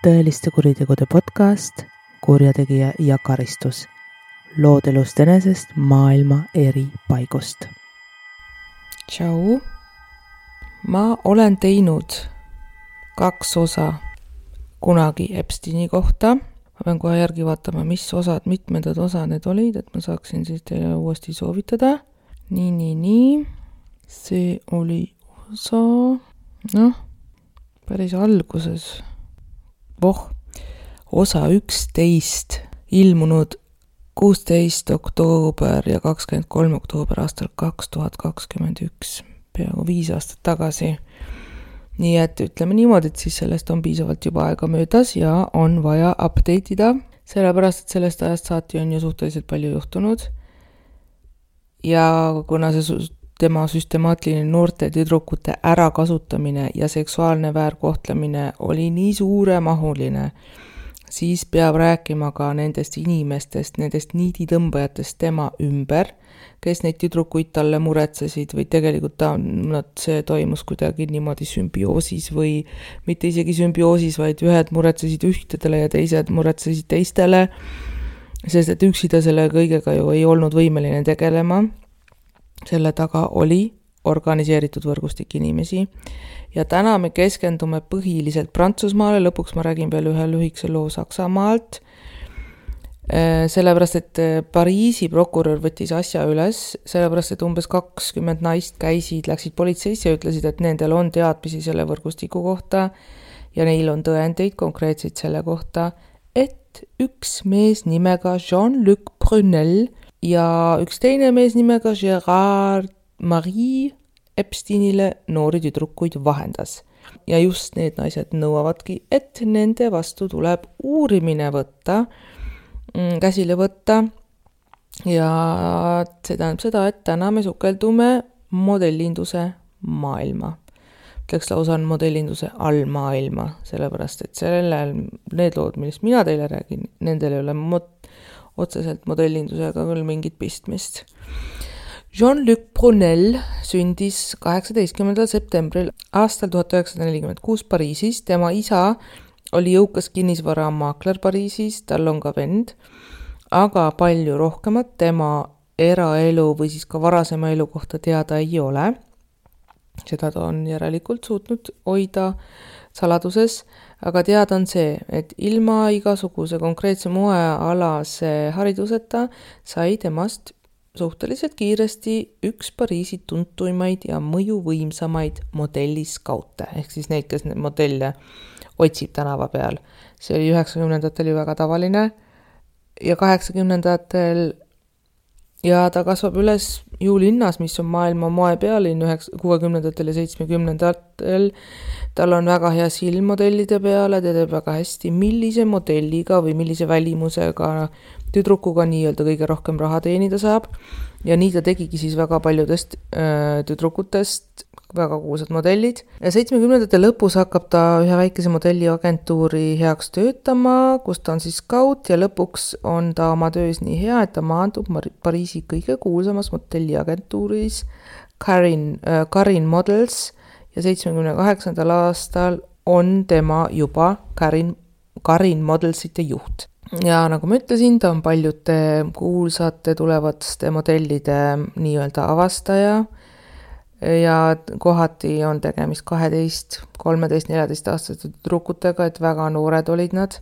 tõeliste kuritegude podcast Kurjategija ja karistus. Lood elust enesest maailma eri paigust. Tšau. Ma olen teinud 2 osa kunagi Epsteini kohta. Ma pean kohe järgi vaatama, mitmendad osa need olid, et ma saaksin siis teile uuesti soovitada. Nii. See oli osa, päris alguses. Osa 11 ilmunud 16. oktoober ja 23. oktoober aastal 2021, peaaegu 5 aastat tagasi. Nii et ütleme niimoodi, et siis sellest on piisavalt juba aega möödas ja on vaja update ida, sellepärast et sellest ajast saati on ju suhteliselt palju juhtunud. Ja kuna see tema süstemaatiline noorte tüdrukute ärakasutamine ja seksuaalne väärkohtlemine oli nii suuremahuline, siis peab rääkima ka nendest inimestest, nendest niiditõmbajatest tema ümber, kes neid tüdrukuid talle muretsesid või tegelikult see toimus kuidagi niimoodi sümbioosis või mitte isegi sümbioosis, vaid ühed muretsesid ühtedele ja teised muretsesid teistele, sest et üksi ta selle kõigega ju ei olnud võimeline tegelema. Selle taga oli organiseeritud võrgustik inimesi ja täna me keskendume põhiliselt Prantsusmaale, lõpuks ma räägin veel ühe lühikese loo Saksamaalt, sellepärast et Pariisi prokurör võttis asja üles, sellepärast et umbes 20 naist läksid politseisse ja ütlesid, et nendel on teadmisi selle võrgustiku kohta ja neil on tõendeid konkreetseid selle kohta, et üks mees nimega Jean-Luc Brunel ja üks teine mees nimega Gérard Marie Epsteinile noori tüdrukuid vahendas. Ja just need naised nõuavadki, et nende vastu tuleb uurimine käsile võtta. Ja see tähendab seda, et täna me sukeldume modellinduse maailma. Ütleks lausa on modellinduse allmaailma, sellepärast et need lood, millest mina teile räägin, nendel ei ole otseselt modellindusega küll mingit pistmist. Jean-Luc Brunel sündis 18. septembril aastal 1946 Pariisis. Tema isa oli jõukas kinnisvaramaakler Pariisis, tal on ka vend, aga palju rohkemat tema eraelu või siis ka varasema elu kohta teada ei ole. Seda ta on järelikult suutnud hoida saladuses, aga teada on see, et ilma igasuguse konkreetse moealase hariduseta sai temast suhteliselt kiiresti üks Pariisi tuntuimaid ja mõjuvõimsamaid modelliskaute, ehk siis neid, kes modelle otsib tänava peal. See oli 90-ndatel ju väga tavaline ja 80-ndatel ja ta kasvab üles ju linnas, mis on maailma moepealinn 60-ndatel ja 70-ndatel. Tal on väga hea silm modellide peale, ta teeb väga hästi, millise modelliga või millise välimusega tüdrukuga nii-öelda kõige rohkem raha teenida saab. Ja nii ta tegigi siis väga paljudest tüdrukutest väga kuulsad modellid. 70-ndate lõpus hakkab ta ühe väikese modelliagentuuri heaks töötama, kus ta on siis scout ja lõpuks on ta oma töös nii hea, et ta maandub Pariisi kõige kuulsamas modelliagentuuris Karin Models ja 78. aastal on tema juba Karin Modelsite juht. Ja nagu ma ütlesin, ta on paljude kuulsate tulevaste modellide nii-öelda avastaja ja kohati on tegemist 12, 13, 14 aastaste tüdrukutega, et väga noored olid nad.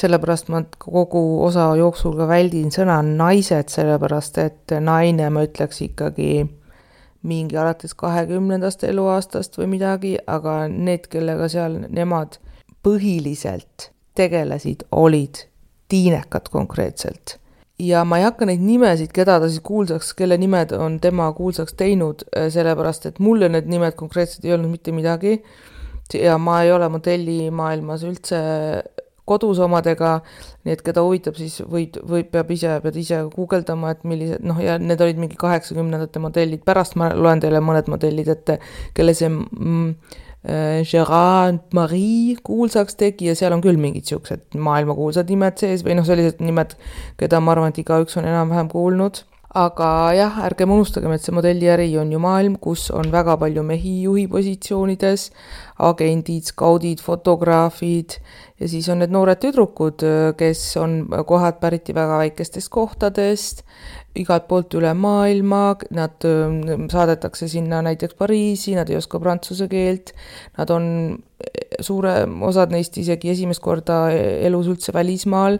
Sellepärast ma kogu osa jooksul ka väldin sõna naised, sellepärast et naine ma ütleks ikkagi mingi alates 20. eluaastast või midagi, aga need, kellega seal nemad põhiliselt tegelesid, olid tiinekad konkreetselt. Ja ma ei hakka neid nimesid, keda ta siis kuulsaks, kelle nimed on tema kuulsaks teinud, sellepärast et mulle need nimed konkreetselt ei olnud mitte midagi ja ma ei ole modellimaailmas üldse kodus omadega, nii et keda huvitab, siis pead ise guugeldama, et millised, ja need olid mingi 80-ndate modellid, pärast ma loen teile mõned modellid ette, kelle see Gérard Marie kuulsaks tegi ja seal on küll mingid siuksed maailma kuulsad nimed sees või sellised nimed, keda ma arvan, et igaüks on enam-vähem kuulnud. aga jah, ärgem unustagem, et see modelliäri on ju maailm, kus on väga palju mehi juhi positsioonides, agendid, skaudid, fotograafid ja siis on need noored tüdrukud, kes on kohad päriti väga väikestest kohtadest, igalt poolt üle maailma, nad saadetakse sinna näiteks Pariisi, nad ei oska prantsuse keelt, nad on osad neist isegi esimest korda elus üldse välismaal,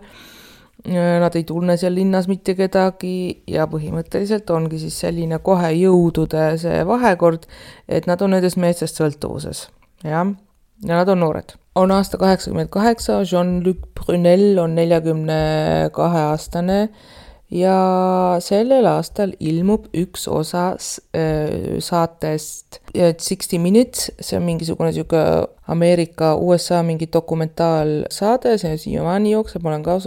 nad ei tunne seal linnas mitte kedagi ja põhimõtteliselt ongi siis selline kohe jõudude see vahekord, et nad on nendest meestest sõltuvuses, jah, ja nad on noored. On aasta 88, Jean-Luc Brunel on 42-aastane ja sellel aastal ilmub üks osa saatest 60 Minutes, see on mingisugune siuke Ameerika, USA mingi dokumentaalsaade, see siiamaani jookseb, ma olen ka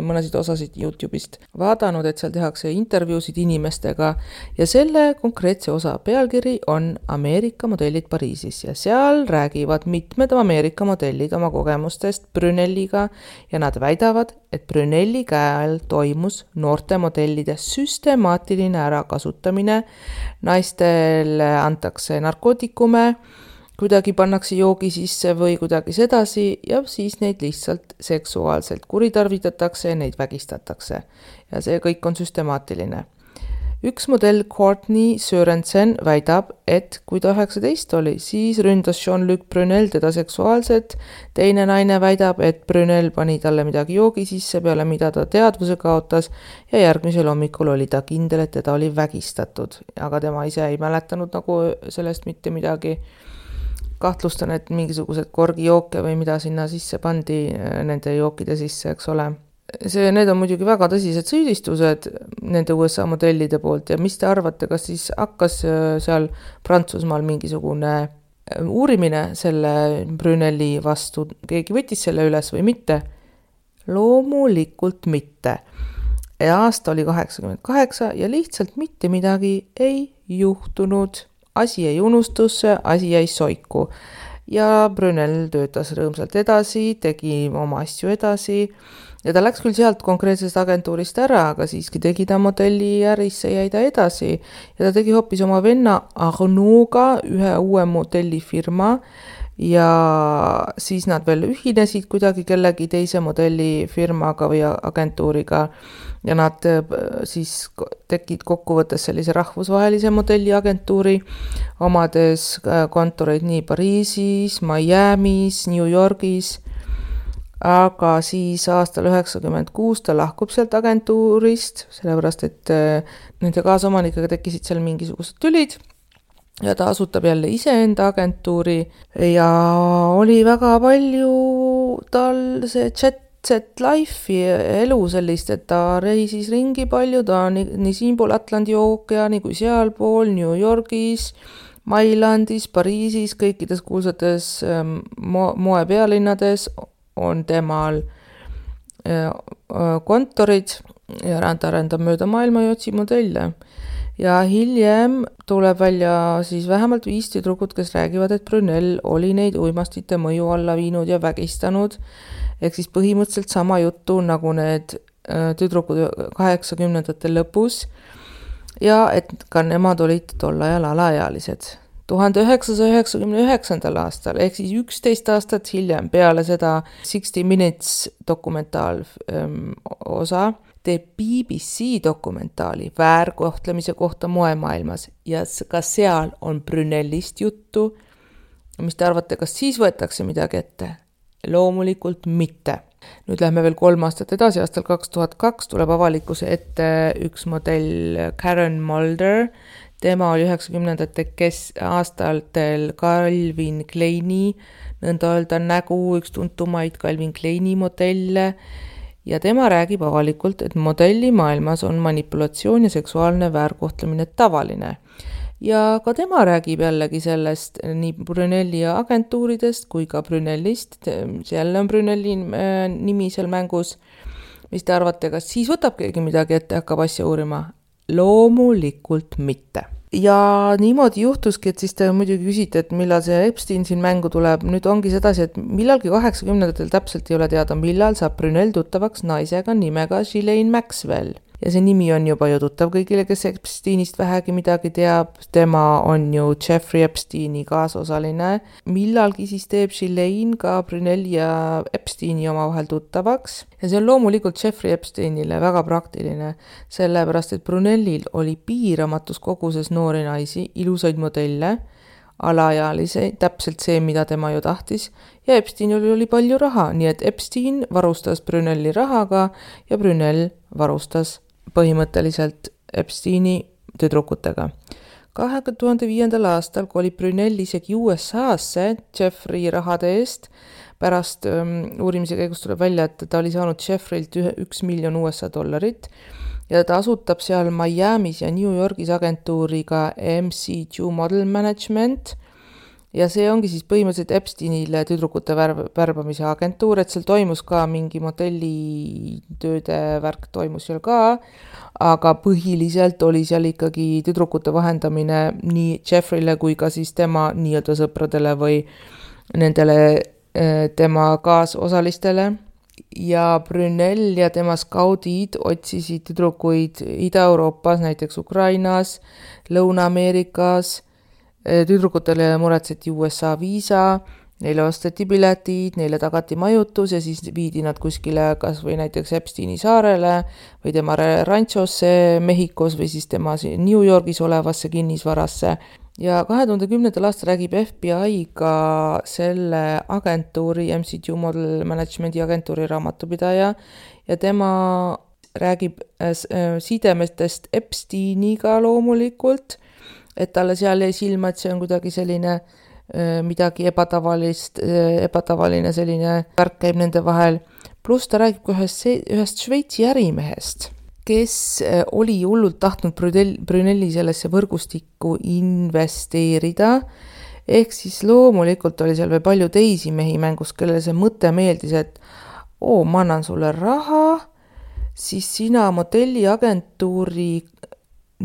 mõnesid osasid YouTube'ist vaadanud, et seal tehakse intervjuusid inimestega ja selle konkreetse osa pealkiri on Ameerika modellid Pariisis ja seal räägivad mitmed Ameerika modellid oma kogemustest Bruneliga ja nad väidavad, et Bruneli käe all toimus noorte modellide süstemaatiline ärakasutamine, naistele antakse narkootikume, kuidagi pannakse joogi sisse või kuidagi sedasi ja siis neid lihtsalt seksuaalselt kuritarvitatakse ja neid vägistatakse. Ja see kõik on süstemaatiline. Üks modell Courtney Sørensen väidab, et kui ta 19 oli, siis ründas Jean-Luc Brunel teda seksuaalselt. Teine naine väidab, et Brunel pani talle midagi joogi sisse, peale mida ta teadvuse kaotas ja järgmisel hommikul oli ta kindel, et teda oli vägistatud. Aga tema ise ei mäletanud nagu sellest mitte midagi. Kahtlustan, et mingisugused korgijooke või mida sinna sisse pandi nende jookide sisse, eks ole. Need on muidugi väga tõsised süüdistused nende USA modellide poolt ja mis te arvate, kas siis hakkas seal Prantsusmaal mingisugune uurimine selle Bruneli vastu, keegi võttis selle üles või mitte? Loomulikult mitte. Ja aasta oli 88 ja lihtsalt mitte midagi ei juhtunud. Asi jäi unustusse, asi jäi soiku ja Brunel töötas rõõmsalt edasi, tegi oma asju edasi ja ta läks küll sealt konkreetsest agentuurist ära, aga siiski tegi ta modelli ärisse, jäi ta edasi ja ta tegi hoopis oma venna Arnauga ühe uue modellifirma ja siis nad veel ühinesid kuidagi kellegi teise modellifirmaga või agentuuriga ja nad siis tekid kokkuvõttes sellise rahvusvahelise modelliagentuuri, omades kontoreid nii Pariisis, Miamis, New Yorgis, aga siis aastal 96 ta lahkub sealt agentuurist, sellepärast et nende kaasomanikega tekkisid seal mingisugused tülid ja ta asutab jälle iseenda agentuuri ja oli väga palju tal see jet life'i elu sellist, et ta reisis ringi palju, ta on nii siinpool Atlandi ookeani kui sealpool, New Yorgis, Mailandis, Pariisis, kõikides kuulsates moepealinnades on temal kontorid ja ta rändab mööda maailma ja otsib modelle. Ja hiljem tuleb välja siis vähemalt 5 tüdrukut, kes räägivad, et Brunel oli neid uimastite mõju alla viinud ja vägistanud. Ehk siis põhimõtteliselt sama juttu nagu need tüdrukud 80-ndate lõpus ja et ka nemad olid tol ajal alaealised. 1999. aastal ehk siis 11 aastat hiljem peale seda 60 Minutes dokumentaal osa teeb BBC dokumentaali väärkohtlemise kohta moemaailmas ja ka seal on Brunelist juttu. Mis te arvate, kas siis võetakse midagi ette? Loomulikult mitte. Nüüd lähme veel 3 aastat edasi, aastal 2002 tuleb avalikkuse ette üks modell Karen Mulder. Tema oli 90-ndate aastatel Calvin Kleini, nõnda öelda nägu, üks tuntumaid Calvin Kleini modelle ja tema räägib avalikult, et modellimaailmas on manipulatsioon ja seksuaalne väärkohtlemine tavaline. Ja ka tema räägib jällegi sellest nii Bruneli agentuuridest kui ka Brunelist, jälle on Bruneli nimi seal mängus. Mis te arvate, kas siis võtab keegi midagi ette, hakkab asja uurima? Loomulikult mitte. Ja niimoodi juhtuski, et siis te muidugi küsite, et millal see Epstein siin mängu tuleb. Nüüd ongi sedasi, et millalgi 80-ndatel täpselt ei ole teada, millal saab Brunel tuttavaks naisega nimega Ghislaine Maxwell. ja see nimi on juba ju tuttav kõigile, kes Epsteinist vähegi midagi teab. Tema on ju Jeffrey Epsteini kaasosaline. Millalgi siis teeb Ghislaine ka Brunelli ja Epsteini omavahel tuttavaks. Ja see on loomulikult Jeffrey Epsteinile väga praktiline, sellepärast et Brunellil oli piiramatus koguses noori naisi, ilusaid modelle, alaealisi, täpselt see, mida tema ju tahtis, ja Epsteinil oli palju raha, nii et Epstein varustas Brunelli rahaga ja Brunel varustas põhimõtteliselt Epsteini tüdrukutega. 2005. aastal kolib Brunel isegi USA-sse Jeffrey rahade eest. Pärast uurimise käigus tuleb välja, et ta oli saanud Jeffreylt $1 miljon ja ta asutab seal Miamis ja New Yorgis agentuuriga MCQ Model Management ja see ongi siis põhimõtteliselt Epsteinile tüdrukute värbamise agentuur, et seal toimus ka mingi modellitööde värk toimus seal ka, aga põhiliselt oli seal ikkagi tüdrukute vahendamine nii Jeffreyle kui ka siis tema nii-öelda sõpradele või nendele tema kaasosalistele. Ja Brunel ja tema skaudid otsisid tüdrukuid Ida-Euroopas, näiteks Ukrainas, Lõuna-Ameerikas. Tüdrukutele muretseti USA viisa, neile osteti piletid, neile tagati majutus ja siis viidi nad kuskile kas või näiteks Epsteini saarele või tema ranchosse Mehhikos või siis tema New Yorgis olevasse kinnisvarasse. Ja 2010. aastal räägib FBI ka selle agentuuri, MCQ Model Managementi agentuuri raamatupidaja ja tema räägib sidemetest Epsteiniga loomulikult, et talle seal jäi silma, et see on kuidagi selline midagi ebatavaline selline värk käib nende vahel. Pluss ta räägib ka ühest Šveitsi ärimehest, kes oli hullult tahtnud Brunelli sellesse võrgustikku investeerida. Ehk siis loomulikult oli seal veel palju teisi mehi mängus, kellele see mõte meeldis, et ma annan sulle raha, siis sina modelliagentuuri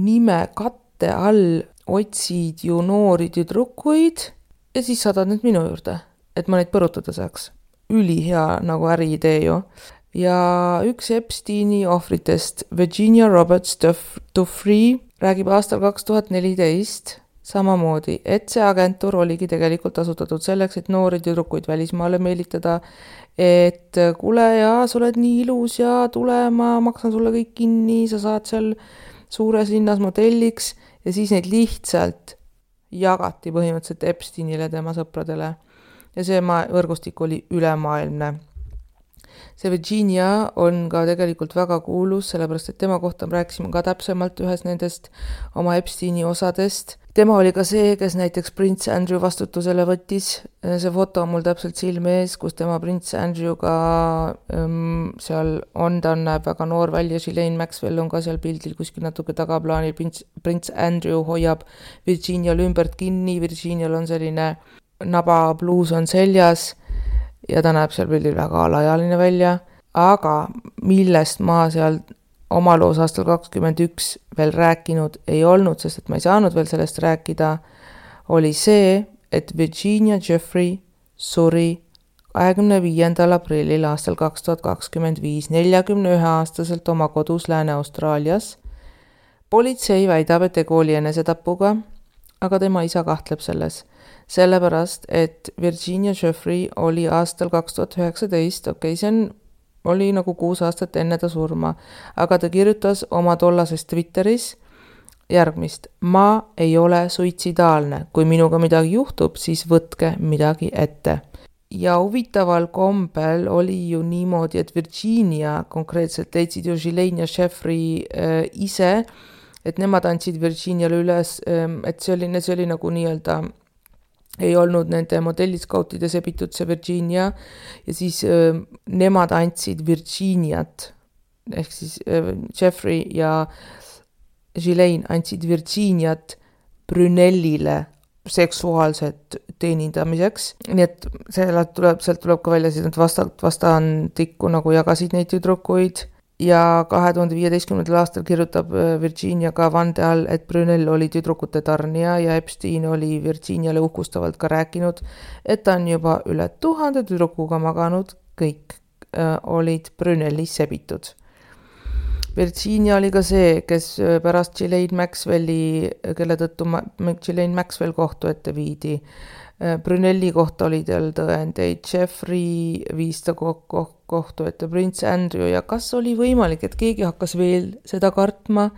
nime katte all otsid ju noori tüdrukuid ja siis saadad need minu juurde, et ma neid põrutada saaks. Ülihea nagu äriidee ju. Ja üks Epsteini ohvritest, Virginia Roberts Duffrey, räägib aastal 2014 samamoodi, et see agentuur oligi tegelikult asutatud selleks, et noori tüdrukuid välismaale meelitada, et kuule ja sa oled nii ilus ja tule, ma maksan sulle kõik kinni, sa saad seal suures linnas modelliks ja siis neid lihtsalt jagati põhimõtteliselt Epsteinile tema sõpradele. Ja see võrgustik oli ülemaailmne. See Virginia on ka tegelikult väga kuulus, sellepärast et tema kohta rääkisime ka täpsemalt ühes nendest oma Epsteini osadest. Tema oli ka see, kes näiteks Prince Andrew vastutusele võttis. See foto on mul täpselt silme ees, kus tema Prince Andrewga seal on, ta näeb väga noor välja, Ghislaine Maxwell on ka seal pildil kuskil natuke tagaplaanil. Prince Andrew hoiab Virginial ümbert kinni, Virginial on selline nabapluus on seljas ja ta näeb seal pildil väga alaealine välja, aga millest ma seal oma loos aastal 2021 veel rääkinud ei olnud, sest et ma ei saanud veel sellest rääkida, oli see, et Virginia Jeffrey suri 25. aprillil aastal 2025 41-aastaselt oma kodus Lääne-Austraalias. Politsei väidab, et tegu oli enesetapuga, aga tema isa kahtleb selles. Sellepärast, et Virginia Jeffrey oli aastal 2019, see oli nagu 6 aastat enne ta surma, aga ta kirjutas oma tollases Twitteris järgmist: ma ei ole suitsidaalne, kui minuga midagi juhtub, siis võtke midagi ette. Ja huvitaval kombel oli ju niimoodi, et Virginia konkreetselt leidsid ju Ghislaine ja Jeffrey ise, et nemad andsid Virginiale üles, et see oli nagu nii-öelda ei olnud nende modelliskautide sebitud see Virginia ja siis nemad andsid Virginiat, ehk siis Jeffrey ja Ghislaine andsid Virginiat Brunellile seksuaalset teenindamiseks. Nii et sealt tuleb ka välja, et vastandikku nagu jagasid neid tüdrukuid. Ja 2015. aastal kirjutab Virginia ka vande all, et Brunel oli tüdrukute tarnija ja Epstein oli Virginiale uhkustavalt ka rääkinud, et ta on juba üle 1000 tüdrukuga maganud, kõik olid Brunelis sebitud. Virginia oli ka see, kes pärast Ghislaine Maxwelli, kelle tõttu Ghislaine Maxwell kohtu ette viidi. Brunelli kohta oli tal tõendeid, Jeffrey viis ta kohtu ette, Prince Andrew ja kas oli võimalik, et keegi hakkas veel seda kartma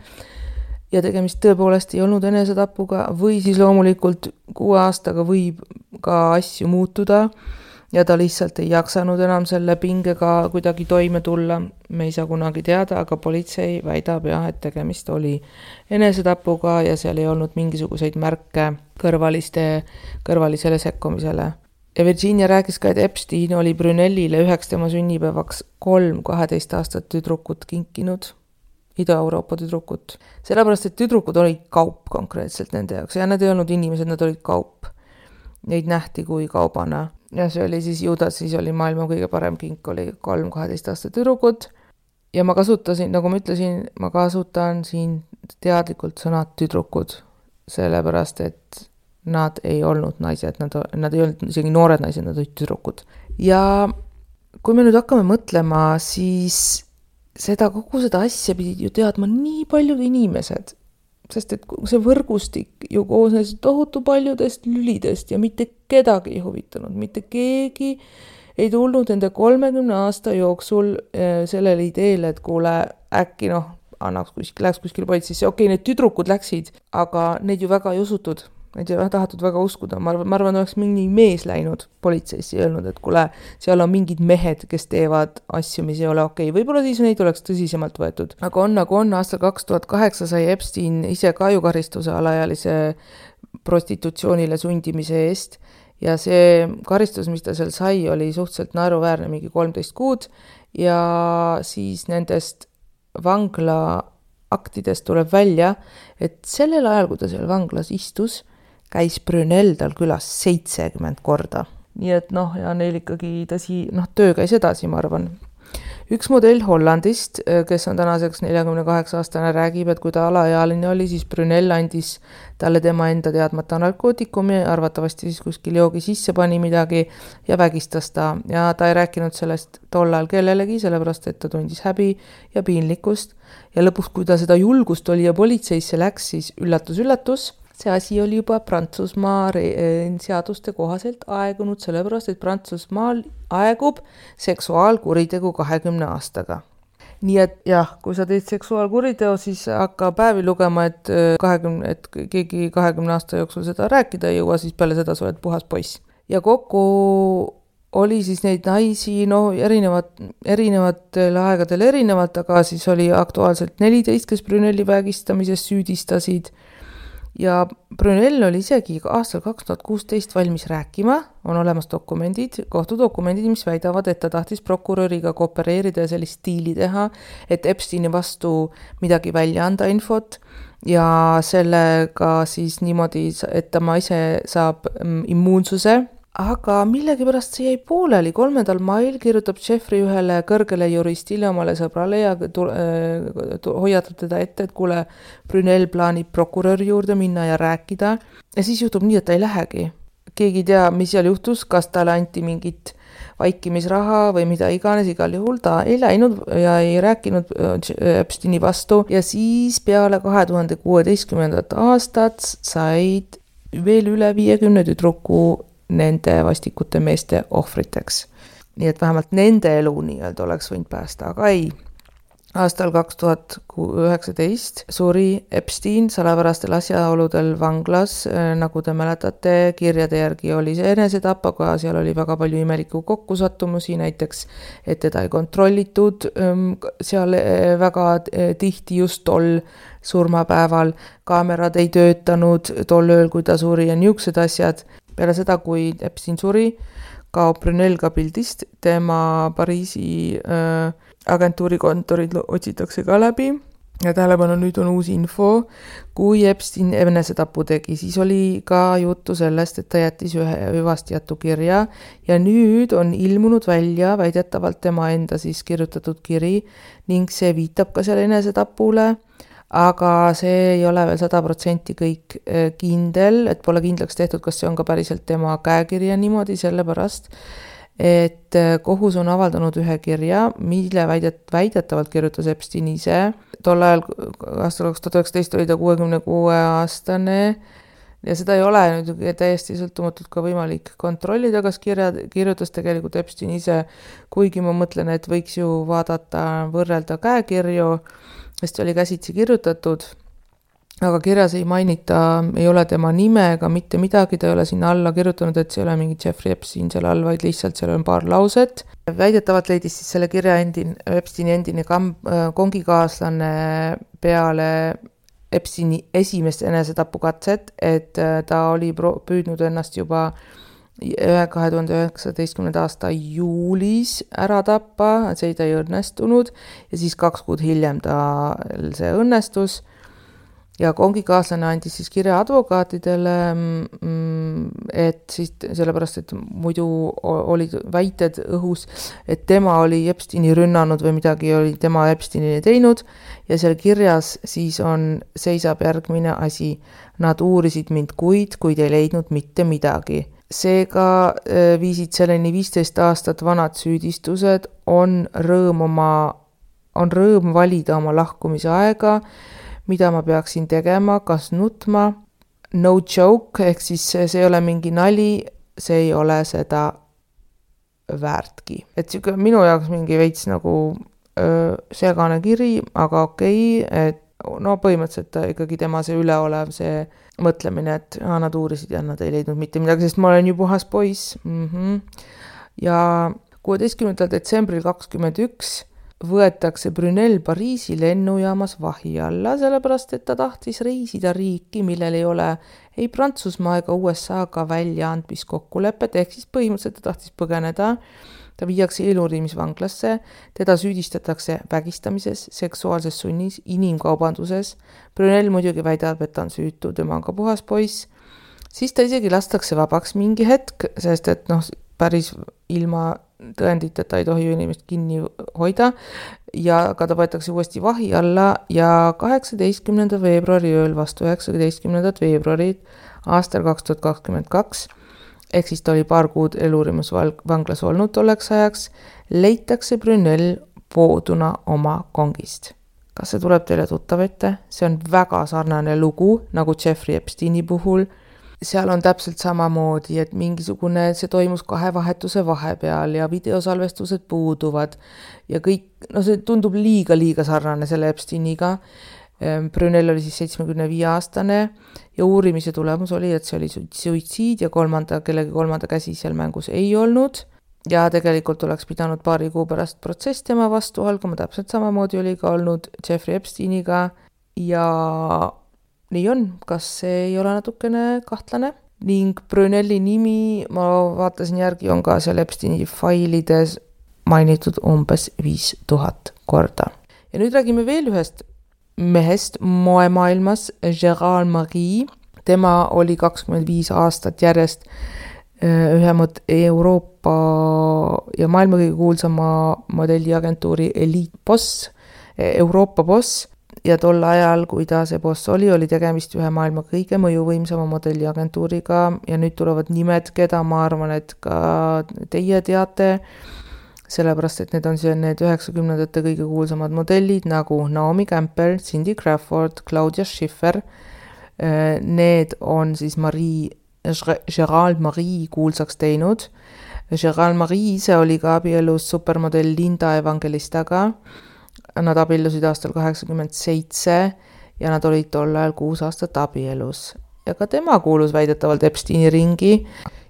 ja tegemist tõepoolest ei olnud enesetapuga või siis loomulikult 6 aastaga võib ka asju muutuda ja ta lihtsalt ei jaksanud enam selle pingega kuidagi toime tulla. Me ei saa kunagi teada, aga politsei väidab jah, et tegemist oli enesetapuga ja seal ei olnud mingisuguseid märke kõrvalisele sekkumisele. Ja Virginia rääkis ka, et Epstein oli Brunellile 1 tema sünnipäevaks 3 12 aastat tüdrukut kinkinud, Ida-Euroopa tüdrukut. Sellepärast, et tüdrukud olid kaup konkreetselt nende jaoks ja nad ei olnud inimesed, nad olid kaup. Neid nähti kui kaubana. Ja see oli siis Judas, siis oli maailma kõige parem kink, oli 3 12 aastat tüdrukut. Ja ma kasutasin, nagu ma ütlesin, ma kasutan siin teadlikult sõnad tüdrukud, sellepärast, et nad ei olnud naised, nad ei olnud isegi noored naised, nad olid tüdrukud. Ja kui me nüüd hakkame mõtlema, siis kogu seda asja pidid ju teadma nii paljud inimesed, sest et see võrgustik ju koosnes tohutu paljudest lülidest ja mitte kedagi ei huvitanud, mitte keegi ei tulnud nende 30 aasta jooksul sellele ideele, et kuule äkki läks kuskil politseisse, okei, need tüdrukud läksid, aga neid ju väga ei usutud. Neid ei tahatud väga uskuda. Ma arvan, oleks mingi mees läinud politseisse ja öelnud, et kuule, seal on mingid mehed, kes teevad asju, mis ei ole okei. Võib-olla siis neid oleks tõsisemalt võetud. Aga nagu on, aastal 2008 sai Epstein ise ka ju karistuse alaealise prostitutsioonile sundimise eest ja see karistus, mis ta seal sai, oli suhteliselt naeruväärne, mingi 13 kuud ja siis nendest vangla aktidest tuleb välja, et sellel ajal, kui ta seal vanglas istus, käis Brunel tal külas 70 korda. Nii et ja neil ikkagi töö käis edasi, ma arvan. Üks modell Hollandist, kes on tänaseks 48 aastane, räägib, et kui ta alaealine oli, siis Brunel andis talle tema enda teadmata narkootikumi, arvatavasti siis kuskil joogi sisse pani midagi ja vägistas ta. Ja ta ei rääkinud sellest tollal kellelegi, sellepärast, et ta tundis häbi ja piinlikkust. Ja lõpuks, kui ta seda julgust oli ja politseisse läks, siis üllatus, see asi oli juba Prantsusmaa seaduste kohaselt aegunud, sellepärast, et Prantsusmaal aegub seksuaalkuritegu 20 aastaga. Nii et jah, kui sa teed seksuaalkuriteo, siis hakka päevi lugema, et keegi 20 aasta jooksul seda rääkida ei jõua, siis peale seda sa oled puhas poiss. Ja kokku oli siis neid naisi, erinevatel aegadel erinevalt, aga siis oli aktuaalselt 14, kes Brunelli vägistamises süüdistasid. Ja Brunel oli isegi aastal 2016 valmis rääkima, on olemas kohtudokumendid, mis väidavad, et ta tahtis prokuröriga koopereerida ja sellist stiili teha, et Epsteini vastu midagi välja anda infot ja sellega siis niimoodi, et ta ise saab immuunsuse. Aga millegipärast see jäi pooleli. 3. mail kirjutab Jeffrey ühele kõrgele juristile omale sõbrale ja hoiatab teda ette, et kuule, Brunel plaanib prokuröri juurde minna ja rääkida. Ja siis juhtub nii, et ta ei lähegi. Keegi ei tea, mis seal juhtus, kas talle anti mingit vaikimisraha või mida iganes, igal juhul ta ei läinud ja ei rääkinud Epsteini vastu. Ja siis peale 2016. aastat said veel üle 50 tüdruku nende vastikute meeste ohvriteks. Nii et vähemalt nende elu nii-öelda oleks võinud päästa, aga ei. Aastal 2019 suri Epstein salapärastel asjaoludel vanglas, nagu te mäletate, kirjade järgi oli see enesetapp, aga seal oli väga palju imeliku kokkusattumusi, näiteks, et teda ei kontrollitud seal väga tihti just tol surmapäeval, kaamerad ei töötanud tol ööl, kui ta suri ja niisugused asjad. Peale seda, kui Epstein suri, kaob Brunel ka pildist, tema Pariisi agentuurikontorid otsitakse ka läbi ja tähelepanu nüüd on uus info. Kui Epstein enesetapu tegi, siis oli ka juttu sellest, et ta jättis ühe hüvastijätu kirja ja nüüd on ilmunud välja väidetavalt tema enda siis kirjutatud kiri ning see viitab ka selle enesetapule. Aga see ei ole veel 100% kõik kindel, et pole kindlaks tehtud, kas see on ka päriselt tema käekirja niimoodi, sellepärast, et kohus on avaldanud ühe kirja, mille väidetavalt kirjutas Epstein ise. Tol ajal aastal 2019 oli ta 66-aastane ja seda ei ole nüüd täiesti sõltumatult ka võimalik kontrollida, kas kirjutas tegelikult Epstein ise, kuigi ma mõtlen, et võiks ju võrrelda käekirju, sest oli käsitsi kirjutatud, aga kirjas ei mainita, ei ole tema nime ega mitte midagi, ta ei ole sinna alla kirjutanud, et see ei ole mingi Jeffrey Epstein seal all, vaid lihtsalt seal on paar lauset. Väidetavalt leidis siis selle kirja Epsteini endine kongikaaslane peale Epsteini esimest enesetapukatset, et ta oli püüdnud ennast juba 2019. aasta juulis ära tappa, see ta ei õnnestunud ja siis 2 kuud hiljem see õnnestus. Ja kongikaaslane andis siis kirja advokaatidele, et siis sellepärast, et muidu olid väited õhus, et tema oli Epsteini rünnanud või midagi oli tema Epsteinile teinud ja seal kirjas siis seisab järgmine asi. Nad uurisid mind kuid ei leidnud mitte midagi. Seega viisid selleni 15 aastat vanad süüdistused, on rõõm valida oma lahkumise aega, mida ma peaksin tegema, kas nutma, no joke, ehk siis see ei ole mingi nali, see ei ole seda väärtki. Et minu jaoks mingi veits nagu segane kiri, aga okei, et no põhimõtteliselt ikkagi tema see üleolev, see mõtlemine, et nad uurisid ja nad ei leidnud mitte midagi, sest ma olen ju puhas poiss. Ja 16. detsembril 2021 võetakse Brunel Pariisi lennujaamas vahi alla, sellepärast, et ta tahtis reisida riiki, millel ei ole ei Prantsusmaa ega USA-ga väljaandmiskokkulepet, ehk siis põhimõtteliselt ta tahtis põgeneda. Ta viiakse eluriimisvanglasse, teda süüdistatakse vägistamises, seksuaalses sunnis, inimkaubanduses. Brunel muidugi väidab, et ta on süütu, tema on ka puhas poiss. Siis ta isegi lastakse vabaks mingi hetk, sest et päris ilma tõenditeta ei tohi inimest kinni hoida ja ka ta võetakse uuesti vahi alla ja 18. veebruari ööl vastu 19. veebruari aastal 2022, ehk siis ta oli paar kuud eluriimisvanglas olnud tolleks ajaks, leitakse Brunel pooduna oma kongist. Kas see tuleb teile tuttav ette? See on väga sarnane lugu nagu Jeffrey Epsteini puhul. Seal on täpselt samamoodi, et mingisugune, see toimus 2 vahetuse vahepeal ja videosalvestused puuduvad ja kõik, see tundub liiga sarnane selle Epsteiniga. Brunel oli siis 75-aastane ja uurimise tulemus oli, et see oli suitsiid ja kellegi kolmanda käsi seal mängus ei olnud ja tegelikult oleks pidanud paari kuu pärast protsess tema vastu algama, täpselt samamoodi oli ka olnud Jeffrey Epsteiniga ja nii on, kas see ei ole natukene kahtlane? Ning Bruneli nimi, ma vaatasin järgi, on ka seal Epsteini failides mainitud umbes 5000 korda. Ja nüüd räägime veel ühest mehest moemaailmas, Gérald Marie. Tema oli 25 aastat järjest ühe Euroopa ja maailma kõige kuulsama modelliagentuuri Elite Boss, Euroopa Boss. Ja tol ajal, kui ta see boss oli tegemist ühe maailma kõige mõjuvõimsama modelliagentuuriga ja nüüd tulevad nimed, keda ma arvan, et ka teie teate, sellepärast, et need on need 90ndate kõige kuulsamad modellid nagu Naomi Campbell, Cindy Crawford, Claudia Schiffer. Need on siis Gérald Marie kuulsaks teinud. Gérald Marie ise oli ka abielus supermodell Linda Evangelistaga. Nad abiellusid aastal 87 ja nad olid tol ajal 6 aastat abielus. Ja ka tema kuulus väidetavalt Epsteini ringi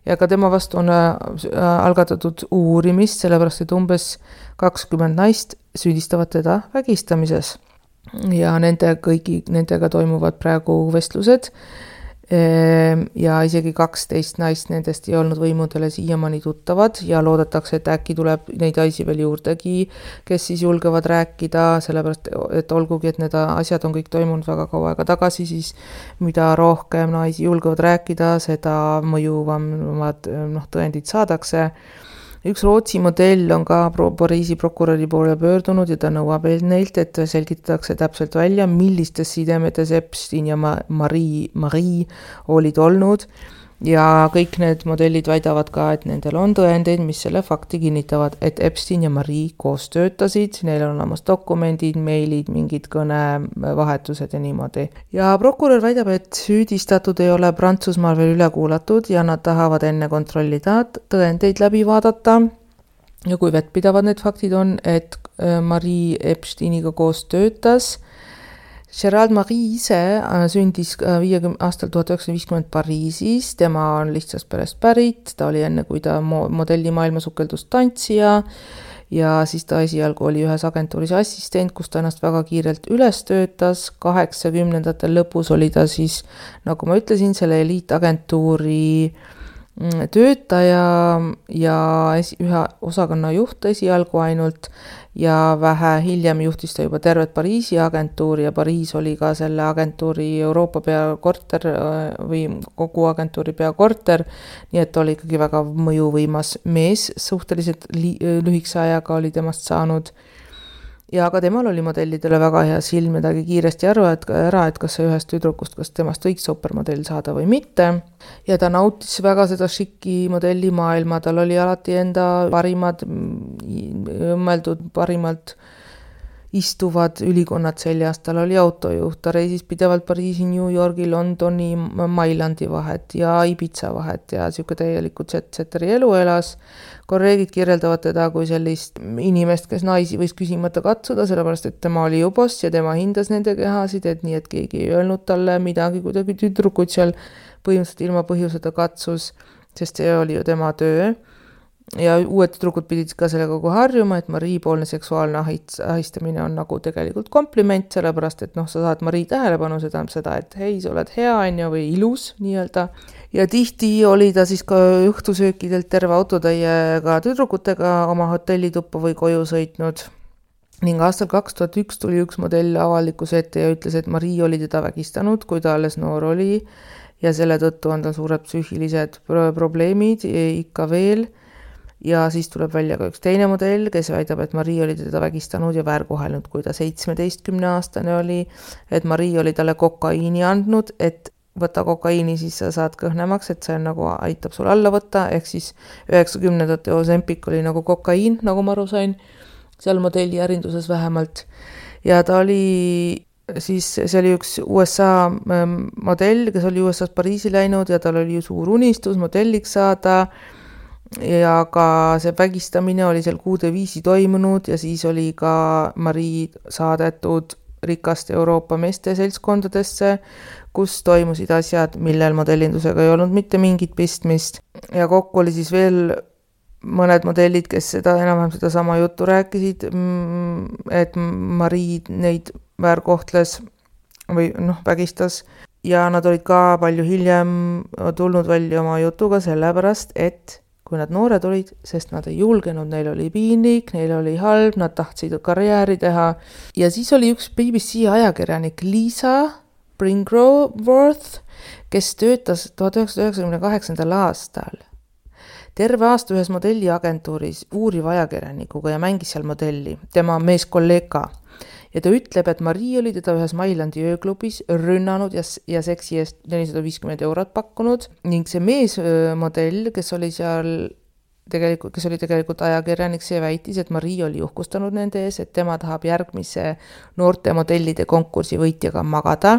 ja ka tema vastu on algatatud uurimist, sellepärast et umbes 20 naist süüdistavad teda vägistamises. Ja nendega toimuvad praegu vestlused ja isegi 12 naist nendest ei olnud võimudele siiamaani tuttavad ja loodetakse, et äkki tuleb neid naisi veel juurdegi, kes siis julgevad rääkida, sellepärast, et olgugi, et need asjad on kõik toimunud väga kaua aega tagasi, siis mida rohkem naisi julgevad rääkida, seda mõjuvamad tõendid saadakse. Üks Rootsi modell on ka Pariisi prokuröri poole pöördunud ja ta nõuab neilt, et selgitatakse täpselt välja, millistes sidemetes Epstein ja Marie olid olnud ja kõik need modellid väidavad ka, et nendel on tõendeid, mis selle fakti kinnitavad, et Epstein ja Marie koos töötasid, neil on olemas dokumendid, meilid, mingid kõnevahetused ja niimoodi. Ja prokurör väidab, et süüdistatud ei ole Prantsusmaal veel üle kuulatud ja nad tahavad enne kontrollida, tõendeid läbi vaadata ja kui vettpidavad need faktid on, et Marie Epsteiniga koos töötas. Gerald Marie ise sündis 1950. aastal Pariisis, tema on lihtsast perest pärit, ta oli enne, kui ta modellimaailma sukeldus tantsija ja siis ta esialgu oli ühes agentuuris assistent, kus ta ennast väga kiirelt üles töötas. 80ndate lõpus oli ta siis, nagu ma ütlesin, selle eliitagentuuri töötaja ja ühe osakonna juht esialgu ainult ja vähe hiljem juhtis ta juba tervet Pariisi agentuuri ja Pariis oli ka selle agentuuri Euroopa peakorter või kogu agentuuri peakorter, nii et oli ikkagi väga mõjuvõimas mees, suhteliselt lühikese ajaga oli temast saanud. Ja ka temal oli modellidele väga hea silm ja tagi kiiresti ära, et kas see ühest tüdrukust, kas temast võiks supermodell saada või mitte. Ja ta nautis väga seda šiki modellimaailma, tal oli alati enda parimad, parimalt istuvad ülikonnad seljas, tal oli autojuht, ta reisis pidevalt Pariisi, New Yorgi, Londoni, Mailandi vahet ja Ibiza vahet ja siuke täieliku jet-setteri elu elas. Kolleegid kirjeldavad teda kui sellist inimest, kes naisi võis küsimata katsuda, sellepärast et tema oli ju boss ja tema hindas nende kehasid, et nii, et keegi ei öelnud talle midagi, kuidagi tüdrukud seal põhimõtteliselt ilma põhjuseta katsus, sest see oli ju tema töö. Ja uued tüdrukud pidid ka sellega kogu harjuma, et Marie-poolne seksuaalne ahistamine on nagu tegelikult kompliment, sellepärast et sa saad Marie tähelepanu, seda, et hei, sa oled hea või ilus nii-öelda. Ja tihti oli ta siis ka õhtusöökidelt terve autotäiega tüdrukutega oma hotellituppa või koju sõitnud. Ning aastal 2001 tuli üks modell avalikkuse ette ja ütles, et Marie oli teda vägistanud, kui ta alles noor oli ja selle tõttu on tal suured psüühilised probleemid ikka veel. Ja siis tuleb välja ka üks teine modell, kes väidab, et Marie oli teda vägistanud ja väärkohelnud, kui ta 17-aastane oli, et Marie oli talle kokaiini andnud, et võta kokaiini, siis sa saad kõhnemaks, et see on nagu aitab sul alla võtta, ehk siis 90ndate Ozempic oli nagu kokaiin, nagu ma aru sain, seal modelli ärinduses vähemalt. Ja ta oli siis, see oli üks USA modell, kes oli USA's Pariisi läinud ja tal oli ju suur unistus modelliks saada, ja ka see vägistamine oli seal kuude viisi toimunud ja siis oli ka Marie saadetud rikaste Euroopa meeste seltskondadesse, kus toimusid asjad, millel modellindusega ei olnud mitte mingit pistmist. Ja kokku oli siis veel mõned modellid, kes enam-vähem seda sama juttu rääkisid, et Marie neid väärkohtles või vägistas. Ja nad olid ka palju hiljem tulnud välja oma jutuga sellepärast, et kui nad noored olid, sest nad ei julgenud, neil oli piinlik, neil oli halb, nad tahtsid karjääri teha. Ja siis oli üks BBC ajakirjanik Lisa Bringroworth, kes töötas 1998. aastal terve aasta ühes modelliagentuuris uuriva ajakirjanikuga ja mängis seal modelli, tema meeskolleeg ka. Ja ta ütleb, et Marie oli teda ühes Mailandi ööklubis rünnanud ja seksi eest 450 eurot pakkunud ning see meesmodell, kes oli tegelikult ajakirjanik, see väitis, et Marie oli uhkustanud nende ees, et tema tahab järgmise noorte modellide konkursi võitjaga magada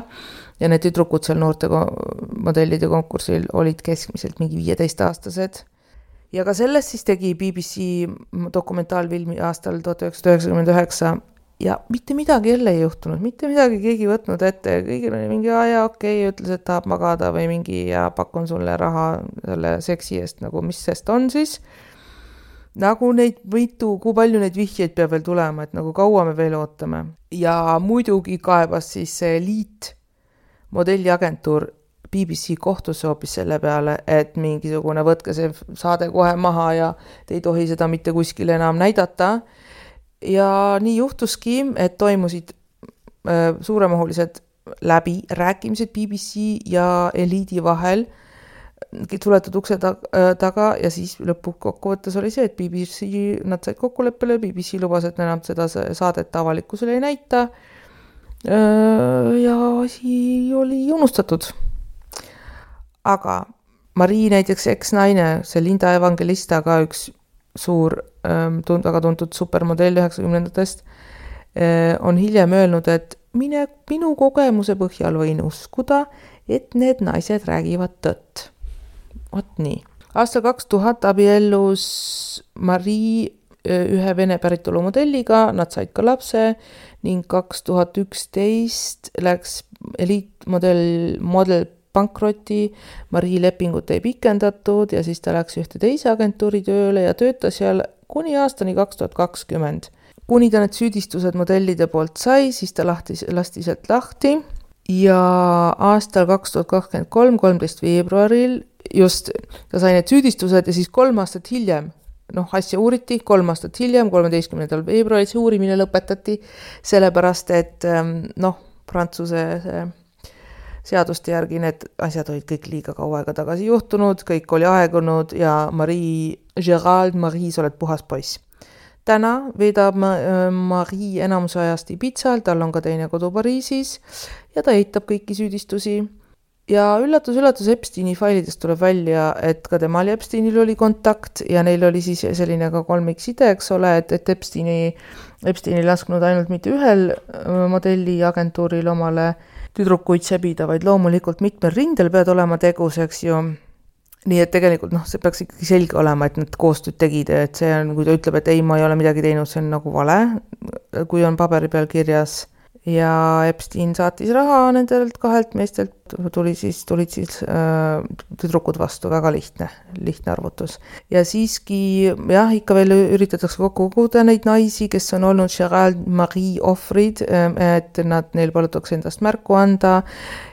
ja need tüdrukud seal noorte modellide konkursil olid keskmiselt mingi 15-aastased. Ja ka sellest siis tegi BBC dokumentaalfilmi aastal 1999 ja mitte midagi jälle ei juhtunud, mitte midagi keegi võtnud ette, kõigil oli mingi okei, ütles, et tahab magada või mingi ja pakun sulle raha selle seksi eest, nagu mis sest on siis. Nagu kui palju neid vihjeid peab veel tulema, et nagu kaua me veel ootame. Ja muidugi kaebas siis see Elite modelliagentuur BBC kohtusse hoopis selle peale, et mingisugune võtke see saade kohe maha ja te ei tohi seda mitte kuskil enam näidata. Ja nii juhtuski, et toimusid suuremahulised läbirääkimised BBC ja Eliidi vahel, suletud ukse taga ja siis lõpukokkuvõttes oli see, et BBC, nad said kokkuleppele, BBC lubas, et enam seda saadet avalikkusele ei näita ja asi oli unustatud. Aga Marie näiteks eksnaine, see Linda Evangelista, ka üks suur, väga tuntud supermodell 90-ndatest, on hiljem öelnud, et minu kogemuse põhjal võin uskuda, et need naised räägivad tõtt. Vot nii. Aastal 2000 abiellus Marie ühe Vene päritolu modelliga, nad said ka lapse ning 2011 läks eliitmodel pankroti, Marie lepingut ei pikendatud ja siis ta läks ühte teise agentuuri tööle ja töötas seal kuni aastani 2020. Kuni ta need süüdistused modellide poolt sai, siis ta lasti sealt lahti ja aastal 2023, 13. veebruaril just ta sai need süüdistused ja siis 3 aastat hiljem, asja uuriti, 3 aastat hiljem, 13. veebruaril see uurimine lõpetati, sellepärast et Prantsuse seaduste järgi need asjad olid kõik liiga kaua aega tagasi juhtunud, kõik oli aegunud ja Marie, sa oled puhas poiss. Täna veedab Marie enamuse ajast Ibizal, tal on ka teine kodu Pariisis ja ta eitab kõiki süüdistusi. Ja üllatus, Epsteini failidest tuleb välja, et ka temal ja Epsteinil oli kontakt ja neil oli siis selline ka kolmikside, eks ole, et Epsteini lasknud ainult mitte ühel modelli agentuuril omale tüdrukuid sebida, vaid loomulikult mitmel rindel pead olema tegus, eks ju. Nii et tegelikult see peaks ikkagi selge olema, et nad koostööd tegid, et see on, kui ta ütleb, et ei, ma ei ole midagi teinud, see on nagu vale, kui on paberi peal kirjas. Ja Epstein saatis raha nendelt 2 meestelt, tulid siis tüdrukud vastu, väga lihtne arvutus. Ja siiski, ikka veel üritatakse kokku koguda neid naisi, kes on olnud Gerald Marie ohvrid, et neil palutakse endast märku anda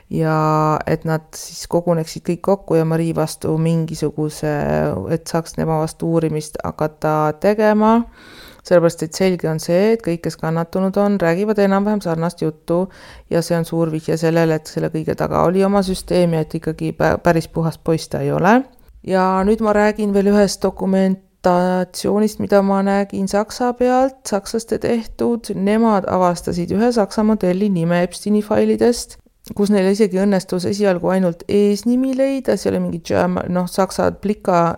ja et nad siis koguneksid kõik kokku ja Marie vastu mingisuguse, et saaks tema vastu uurimist hakata tegema. Sellepärast, et selge on see, et kõik, kes kannatunud on, räägivad enam-vähem sarnast juttu ja see on suur vihje sellele, et selle kõige taga oli oma süsteem ja et ikkagi päris puhas poiss ta ei ole. Ja nüüd ma räägin veel ühest dokumentatsioonist, mida ma nägin Saksa pealt, sakslaste tehtud. Nemad avastasid ühe Saksa modelli nime Epsteini failidest, kus neil isegi õnnestus esialgu ainult eesnimi leida, see oli mingi saksa plika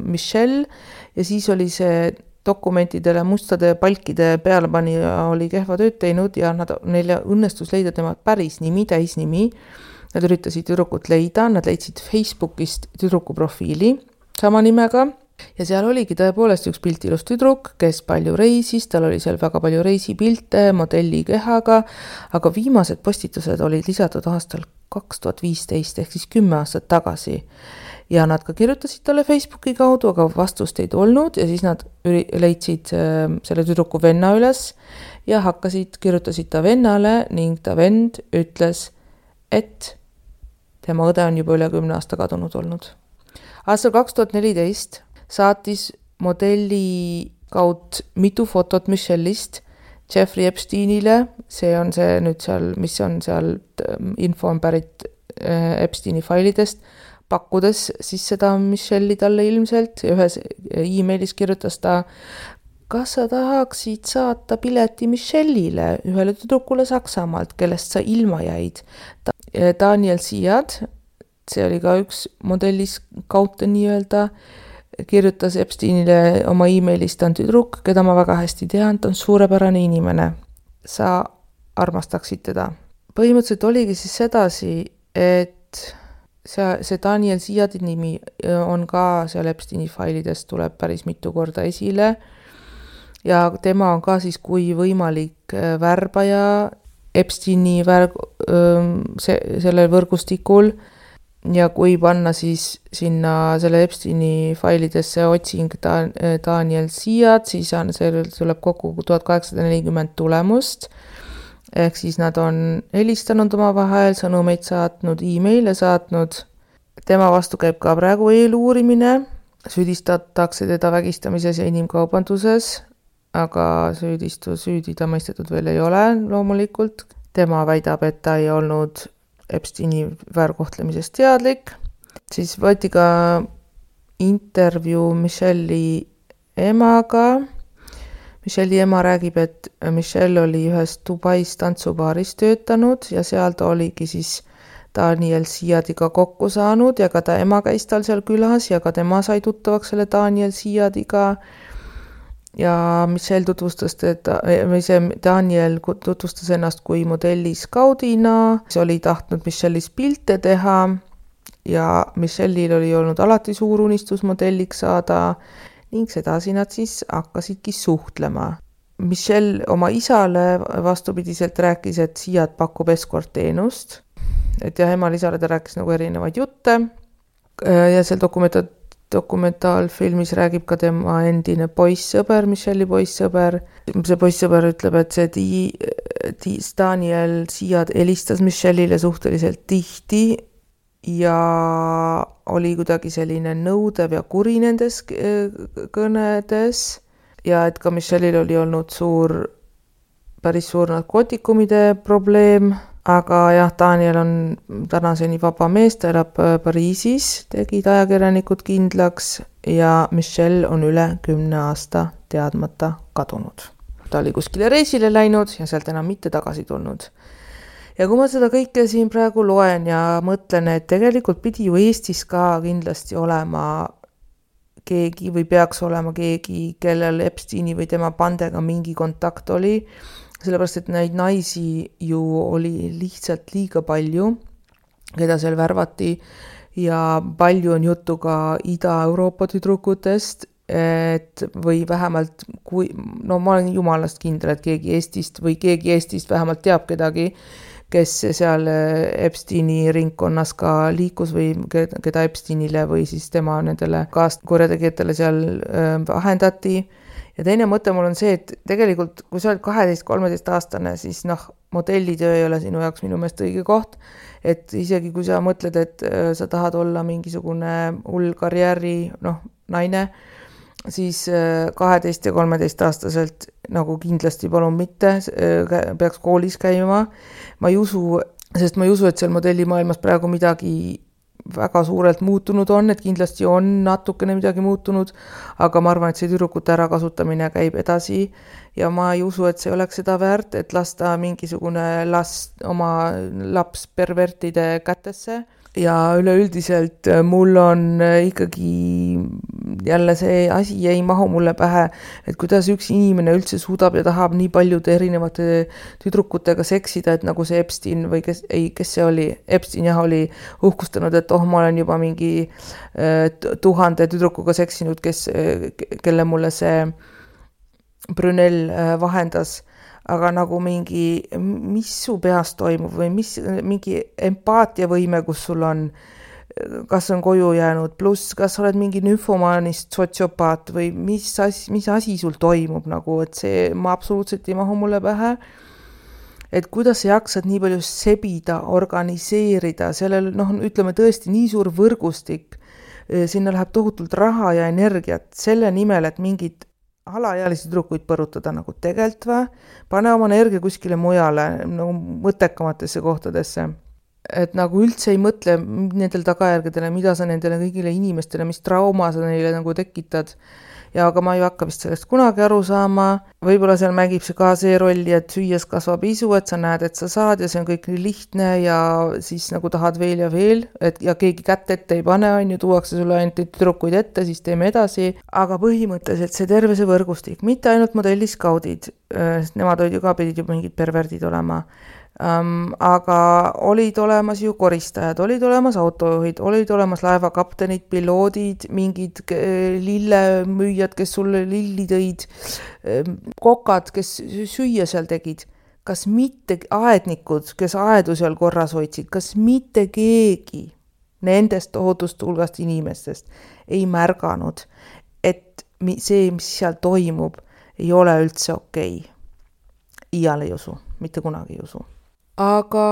Michelle ja siis oli see dokumentidele mustade palkide pealepanija oli kehva tööd teinud ja neile õnnestus leida tema päris nimi, täisnimi. Nad üritasid tüdrukut leida, nad leidsid Facebookist tüdruku profiili sama nimega ja seal oligi tõepoolest üks piltilus tüdruk, kes palju reisis, tal oli seal väga palju reisipilte, modelli kehaga, aga viimased postitused olid lisatud aastal 2015 ehk siis 10 aastat tagasi. Ja nad ka kirjutasid talle Facebooki kaudu, aga vastust ei olnud ja siis nad leidsid selle tüdruku venna üles ja kirjutasid ta vennale ning ta vend ütles, et tema õde on juba üle 10 aasta kadunud olnud. Aastal 2014 saatis modelli kaud mitu fotot Michelle'ist Jeffrey Epsteinile, see on see nüüd seal, mis on seal info on pärit Epsteini failidest, pakkudes siis seda Michelle'i talle ilmselt ja ühes e-mailis kirjutas ta, kas sa tahaksid saata pileti Michelle'ile, ühele tüdrukule Saksamaalt, kellest sa ilma jäid. Daniel Siad, see oli ka üks modellis kaute nii-öelda, kirjutas Epsteinile oma e-mailis, ta on tüdruk, keda ma väga hästi tean, ta on suurepärane inimene. Sa armastaksid teda. Põhimõtteliselt oligi siis sedasi, et see Daniel Siadi nimi on ka seal Epsteini failidest tuleb päris mitu korda esile ja tema on ka siis kui võimalik värbaja Epsteini sellel võrgustikul ja kui panna siis sinna selle Epsteini failidesse otsing Daniel Siad, siis tuleb kokku 1840 tulemust. Ehk siis nad on helistanud oma vahel, sõnumeid saatnud, e-maile saatnud. Tema vastu käib ka praegu eeluurimine. Süüdistatakse teda vägistamises ja inimkaubanduses, aga süüdi ta mõistetud veel ei ole loomulikult. Tema väidab, et ta ei olnud Epsteini väärkohtlemisest teadlik. Siis võeti ka intervjuu Michelle'i emaga. Michelle'i ema räägib, et Michelle oli ühes Dubais tantsubaaris töötanud ja seal ta oligi siis Daniel Siadiga kokku saanud ja ka ta ema käis tal seal külas ja ka tema sai tuttavaks selle Daniel Siadiga. Ja Michelle tutvustas Daniel tutvustas ennast kui modelliskaudina, see oli tahtnud Michelle'is pilte teha ja Michelle'il oli olnud alati suur unistus modelliks saada ning sedasi nad siis hakkasidki suhtlema. Michelle oma isale vastupidiselt rääkis, et Siad pakub eskortteenust, et ja emal-isale ta rääkis nagu erinevaid jutte ja seal dokumentaalfilmis räägib ka tema endine poissõber, Michelle'i poissõber. See poissõber ütleb, et see Daniel Siad helistas Michelle'ile suhteliselt tihti ja oli kuidagi selline nõudev ja kuri nendes kõnedes ja et ka Michelle'il oli olnud päris suur narkootikumide probleem, aga jah, Daniel on tänaseni vaba mees, ta elab Pariisis, tegid ajakirjanikud kindlaks ja Michelle on üle 10 aasta teadmata kadunud. Ta oli kuskile reisile läinud ja sealt enam mitte tagasi tulnud. Ja kui ma seda kõike siin praegu loen ja mõtlen, et tegelikult pidi ju Eestis ka kindlasti olema keegi või peaks olema keegi, kellel Epsteini või tema pandega mingi kontakt oli, sellepärast, et neid naisi ju oli lihtsalt liiga palju, keda seal värvati ja palju on juttu ka Ida-Euroopa tüdrukutest, et või vähemalt, ma olen jumalast kindel, et keegi Eestist vähemalt teab kedagi, kes seal Epsteini ringkonnas ka liikus või keda Epsteinile või siis tema nendele kaaskorjategijatele seal vahendati. Ja teine mõte mul on see, et tegelikult kui sa oled 12-13 aastane, siis modellitöö ei ole sinu jaoks minu meelest õige koht. Et isegi kui sa mõtled, et sa tahad olla mingisugune hull karjääri naine, siis 12 ja 13 aastaselt nagu kindlasti palun mitte, peaks koolis käima. Ma ei usu, et seal modellimaailmas praegu midagi väga suurelt muutunud on, et kindlasti on natukene midagi muutunud, aga ma arvan, et see tüdrukute ärakasutamine käib edasi ja ma ei usu, et see oleks seda väärt, et lasta mingisugune oma laps pervertide kätesse. Ja üleüldiselt mul on ikkagi jälle see asi ei mahu mulle pähe, et kuidas üks inimene üldse suudab ja tahab nii paljude erinevate tüdrukutega seksida, et nagu see Epstein või kes see oli, Epstein oli uhkustanud, et ma olen juba mingi 1000 tüdrukuga seksinud, kelle mulle see Brunel vahendas. Aga nagu mis su peas toimub või mingi empaatiavõime, kus sul on, kas on koju jäänud, pluss kas oled mingi nüfomaanist sotsiopaat või mis asi sul toimub, nagu, et see ma absoluutselt ei mahu mulle pähe. Et kuidas sa jaksad nii palju sebida, organiseerida, sellel, ütleme tõesti nii suur võrgustik, sinna läheb tohutult raha ja energiat selle nimel, et mingid alaealisi tüdrukuid põrutada nagu tegelt või, pane oma energia kuskile mujale, nagu mõttekamatesse kohtadesse. Et nagu üldse ei mõtle nendel tagajärgedele, mida sa nendele kõigile inimestele, mis trauma sa neile nagu tekitad. Ja aga ma ei hakka vist sellest kunagi aru saama. Võib-olla seal mängib see ka see rolli, et süües kasvab isu, et sa näed, et sa saad ja see on kõik nii lihtne ja siis nagu tahad veel ja veel, ja keegi kätt ette ei pane, tuuakse sulle ainult tüdrukuid ette, siis teeme edasi. Aga põhimõtteliselt see terve see võrgustik, mitte ainult modelliskaudid, nemad olid ju ka pidid ju mingid perverdid olema. Aga olid olemas ju koristajad, olid olemas autojuhid, olid olemas laevakaptenid, piloodid, mingid lillemüüjad, kes sulle lilli tõid, kokad, kes süüa seal tegid. Kas mitte aednikud, kes aedu seal korras hoidsid, kas mitte keegi nendest tohutust hulgast inimestest ei märganud, et see, mis seal toimub, ei ole üldse okei. Iial ei usu, mitte kunagi ei usu. Aga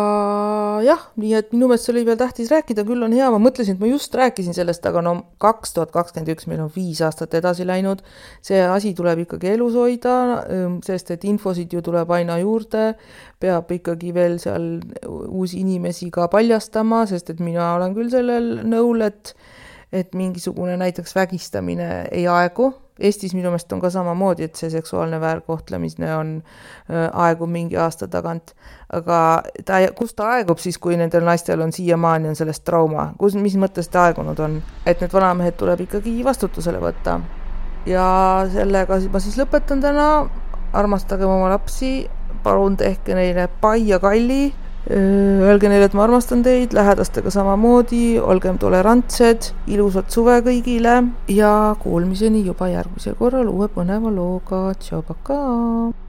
jah, nii et minu meelest oli veel tähtis rääkida, küll on hea, ma mõtlesin, et ma just rääkisin sellest, aga 2021 meil on 5 aastat edasi läinud, see asi tuleb ikkagi elus hoida, sest et infosid ju tuleb aina juurde, peab ikkagi veel seal uusi inimesi ka paljastama, sest et mina olen küll sellel nõul, et mingisugune näiteks vägistamine ei aegu, Eestis minu meelest on ka samamoodi, et see seksuaalne väärkohtlemine on aegub mingi aasta tagant, aga kus ta aegub siis, kui nendel naistel on siiamaani on sellest trauma, mis mõttes ta aegunud on, et need vanamehed tuleb ikkagi vastutusele võtta. Ja sellega ma siis lõpetan täna, armastagem oma lapsi, palun tehke neile pai ja kalli, öelge neile, et ma armastan teid, lähedastega samamoodi, olgem tolerantsed, ilusat suve kõigile ja kuulmiseni juba järgmisel korral uue põneva looga. Tšau, pakaa!